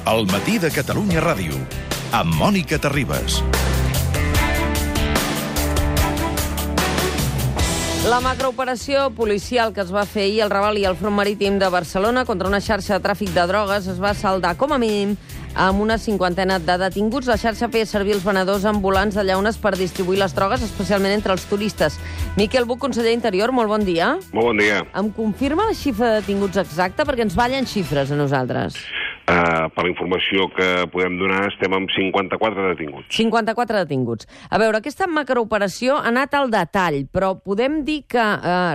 El matí de Catalunya Ràdio, amb Mònica Terribas. La macrooperació policial que es va fer ahir al Raval i al Front Marítim de Barcelona contra una xarxa de tràfic de drogues es va saldar, com a mínim, amb una 50ena de detinguts. La xarxa feia servir els venedors ambulants de llaunes per distribuir les drogues, especialment entre els turistes. Miquel Buch, conseller d'Interior, molt bon dia. Molt bon dia. Em confirma la xifra de detinguts exacta? Perquè ens ballen xifres a nosaltres. Per la informació que podem donar, estem amb 54 detinguts. 54 detinguts. A veure, aquesta macrooperació ha anat al detall, però podem dir que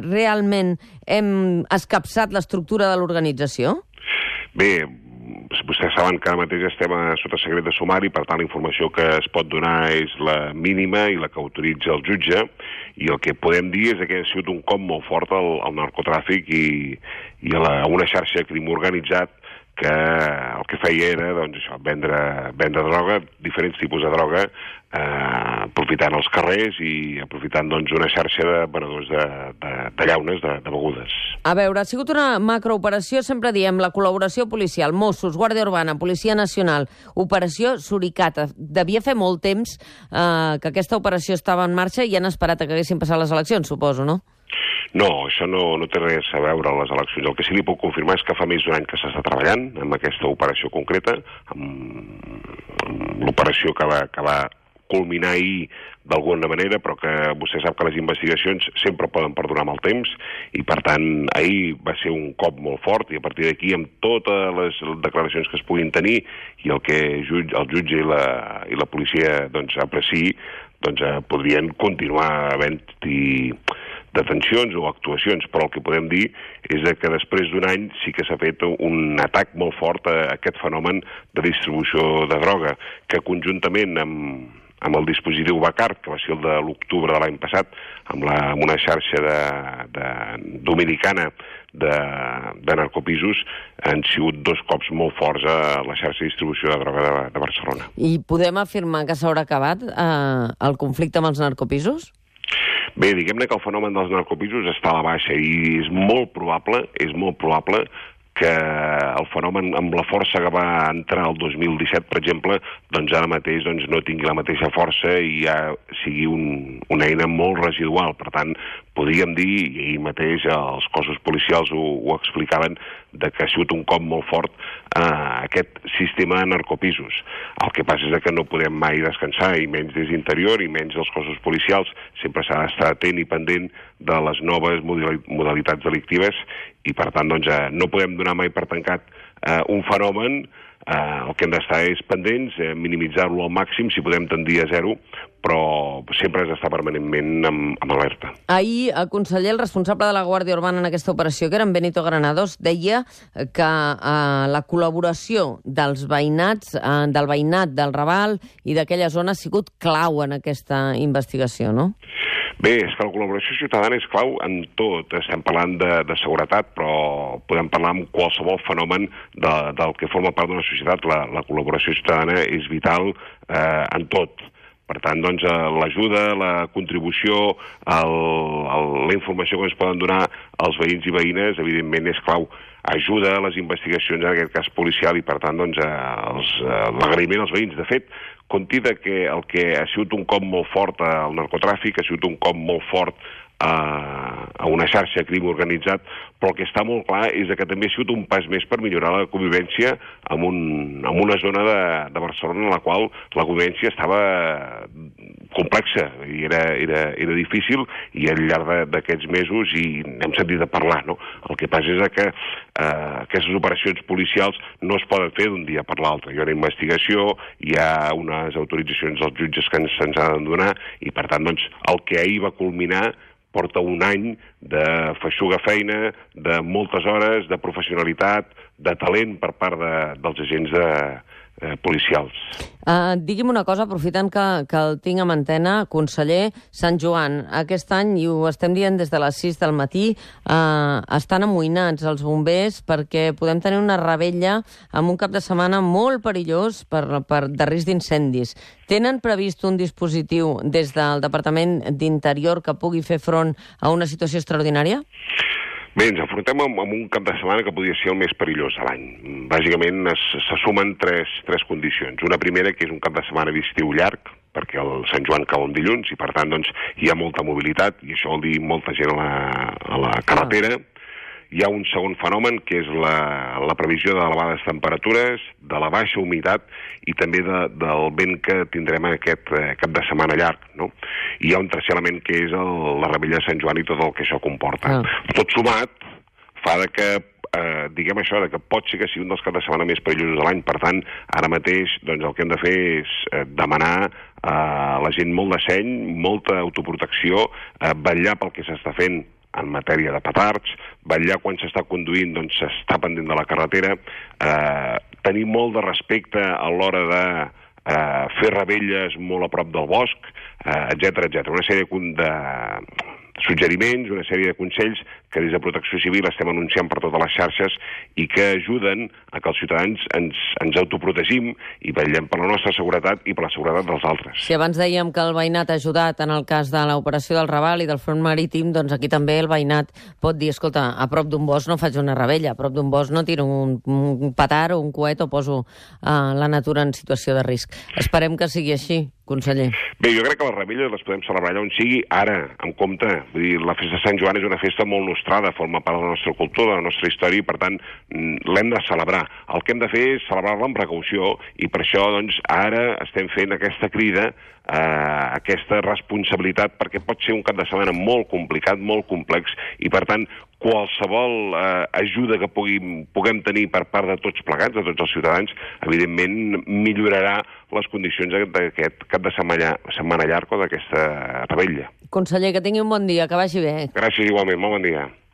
realment hem escapçat l'estructura de l'organització? Bé, vostès saben que ara mateix estem sota secret de sumari, per tant la informació que es pot donar és la mínima i la que autoritza el jutge, i el que podem dir és que ha sigut un cop molt fort al narcotràfic i a una xarxa de crim organitzat que el que feia era vendre droga, diferents tipus de droga, aprofitant els carrers i aprofitant una xarxa de venedors de llaunes, de begudes. A veure, ha sigut una macrooperació, sempre diem, la col·laboració policial, Mossos, Guàrdia Urbana, Policia Nacional, Operació Suricata. Devia fer molt temps que aquesta operació estava en marxa i han esperat que haguessin passat les eleccions, suposo, no? No, això no té res a veure amb les eleccions. El que sí li puc confirmar és que fa més d'un any que s'està treballant amb aquesta operació concreta, amb l'operació que va culminar ahir d'alguna manera, però que vostè sap que les investigacions sempre poden perdurar amb el temps, i per tant ahir va ser un cop molt fort, i a partir d'aquí, amb totes les declaracions que es puguin tenir i el que el jutge i la policia apreciï, podrien continuar havent-hi detencions o actuacions, però el que podem dir és que després d'un any sí que s'ha fet un atac molt fort a aquest fenomen de distribució de droga, que conjuntament amb el dispositiu Bacar, que va ser el de l'octubre de l'any passat, amb una xarxa dominicana de narcopisos, han sigut dos cops molt forts a la xarxa de distribució de droga de Barcelona. I podem afirmar que s'haurà acabat el conflicte amb els narcopisos? Bé, diguem-ne que el fenomen dels narcopisos està a la baixa i és molt probable que el fenomen amb la força que va entrar el 2017, per exemple, ara mateix no tingui la mateixa força i ja sigui una eina molt residual. Per tant, podríem dir, i ahir mateix els cossos policials ho explicaven, que ha sigut un cop molt fort aquest sistema de narcopisos. El que passa és que no podem mai descansar, i menys des d'Interior, i menys dels cossos policials. Sempre s'ha d'estar atent i pendent de les noves modalitats delictives, i per tant no podem donar mai per tancat un fenomen. El que hem d'estar és pendents, minimitzar-lo al màxim, si podem tendir a zero, però sempre has d'estar permanentment amb alerta. Ahir, el conseller, el responsable de la Guàrdia Urbana en aquesta operació, que era en Benito Granados, deia que la col·laboració del veïnat del Raval i d'aquella zona ha sigut clau en aquesta investigació, no? Bé, és que la col·laboració ciutadana és clau en tot. Estem parlant de seguretat, però podem parlar amb qualsevol fenomen del que forma part d'una societat. La col·laboració ciutadana és vital en tot. Per tant, l'ajuda, la contribució, la informació que ens poden donar els veïns i veïnes, evidentment, és clau. Ajuda a les investigacions, en aquest cas policial, i per tant, l'agraïment als veïns. De fet, compti que el que ha sigut un cop molt fort al narcotràfic, ha sigut un cop molt fort a una xarxa de crim organitzat, però el que està molt clar és que també ha sigut un pas més per millorar la convivència en una zona de Barcelona en la qual la convivència estava complexa i era difícil, i al llarg d'aquests mesos n'hem sentit a parlar, no? El que passa és que aquestes operacions policials no es poden fer d'un dia per l'altre. Hi ha una investigació, hi ha unes autoritzacions dels jutges que se'ns han de donar, i per tant el que ahir va culminar porta un any de feixuga feina, de moltes hores, de professionalitat, de talent per part dels agents policials. Digui'm una cosa, aprofitant que el tinc amb antena, conseller. Sant Joan, aquest any, i ho estem dient des de les 6 del matí, estan amoïnats els bombers perquè podem tenir una revetlla amb un cap de setmana molt perillós de risc d'incendis. Tenen previst un dispositiu des del Departament d'Interior que pugui fer front a una situació extraordinària? Bé, ens enfrontem amb un cap de setmana que podria ser el més perillós de l'any. Bàsicament se sumen tres condicions. Una primera, que és un cap de setmana d'estiu llarg, perquè el Sant Joan cau en dilluns i, per tant, doncs, hi ha molta mobilitat, i això vol dir molta gent a la carretera. Hi ha un segon fenomen, que és la previsió d'elevades temperatures, de la baixa humitat i també del vent que tindrem aquest cap de setmana llarg, no? I hi ha un tercer element, que és la revetlla de Sant Joan i tot el que això comporta. Tot sumat fa que diguem això, que pot ser que sigui un dels caps de setmana més perillosos de l'any. Per tant, ara mateix doncs, el que hem de fer és demanar a la gent molt de seny, molta autoprotecció, vetllar pel que s'està fent en matèria de petards, vetllar quan s'està conduint, doncs s'està pendent de la carretera, tenir molt de respecte a l'hora de fer revetlles molt a prop del bosc, etcètera. Una sèrie de suggeriments, una sèrie de consells que des de Protecció Civil estem anunciant per totes les xarxes i que ajuden a que els ciutadans ens autoprotegim i vetllem per la nostra seguretat i per la seguretat dels altres. Si abans dèiem que el veïnat ha ajudat en el cas de l'operació del Raval i del front marítim, doncs aquí també el veïnat pot dir, escolta, a prop d'un bosc no faig una rebella, a prop d'un bosc no tiro un petard o un coet o poso la natura en situació de risc. Esperem que sigui així, conseller. Bé, jo crec que les revetlles les podem celebrar allà on sigui, ara, amb compte. Vull dir, la festa de Sant Joan és una festa molt nostrada, forma part de la nostra cultura, de la nostra història, i per tant l'hem de celebrar. El que hem de fer és celebrar-la amb precaució, i per això doncs ara estem fent aquesta crida, aquesta responsabilitat, perquè pot ser un cap de setmana molt complicat, molt complex, i per tant qualsevol ajuda que puguem tenir per part de tots plegats, de tots els ciutadans, evidentment millorarà les condicions d'aquest cap de setmana llarg o d'aquesta rebella. Conseller, que tingui un bon dia, que vagi bé. Gràcies, igualment. Molt bon dia.